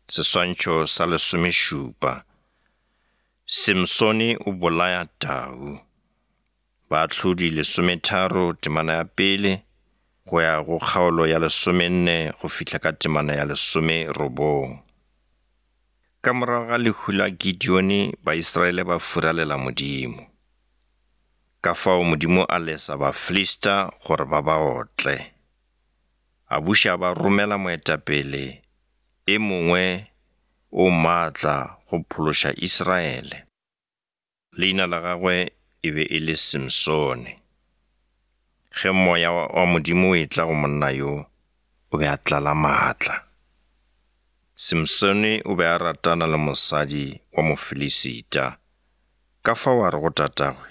Seswantšho sa lesomešupa. Simsone o bolaya tau. Baahlodi lesometharo temana ya pele go ya go kgaolo ya lesomenne go fihla ka temana ya lesomerobong. Ka morago ga lehu la Gideone Baisraele ba furalela Modimo. Ka fao Modimo a lesa Bafilista gore ba ba otle. A buša a ba romela moetapele e mongwe o maatla go phološa Israele. Leina la gagwe e be e le Simsone. Ge moya wa Modimo o etla go monna yo, o be a tlala maatla. Simsone o be a ratana le mosadi wa Mofilisita, ka fao a re go tatagwe,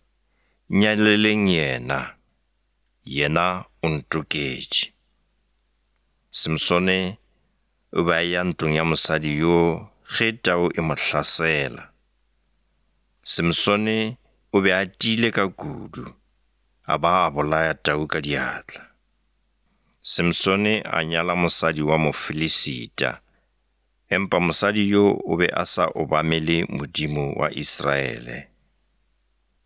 Nnyaleleng yena, yena o ntoketše. Simsone o be a eya ntlong ya mosadi yoo ge tau e mo hlasela. Simsone o be a tiile ka kudu, a ba a bolaya tau ka diatla. Simsone a nyala mosadi wa Mofilisita, empa mosadi yo o be a sa obamele Modimo wa Israele.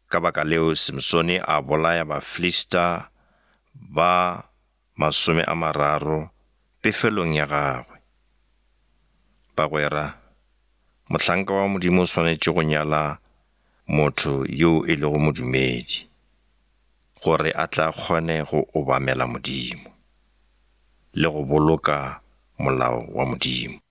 Ka baka leo Simsone a bolaya Bafilista ba 30 pefelong ya gagwe. Bagwera, mohlanka wa Modimo o swanetše go nyala motho yo e lego modumedi, gore a tla kgone go obamela Modimo le go boloka molao wa Modimo.